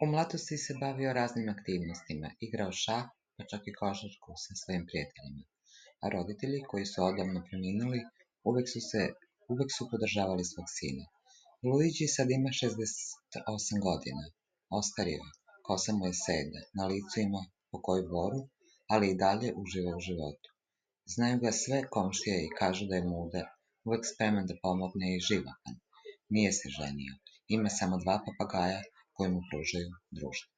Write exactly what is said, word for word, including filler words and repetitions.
U mladosti se bavio raznim aktivnostima, igrao šah, pa čak i košarku sa svojim prijateljima. A roditelji, koji su odavno preminuli, uvek su, se, uvek su podržavali svog sina. Luigi sad ima šezdeset osam godina, ostario je, kosa mu je seda, na licu ima pokoju boru, ali i dalje uživa u životu. Znaju ga sve komšije i kažu da je mudar, uvek spreman da pomogne i živahan. Nije se ženio, ima samo dva papagaja koji mu pružaju društvo.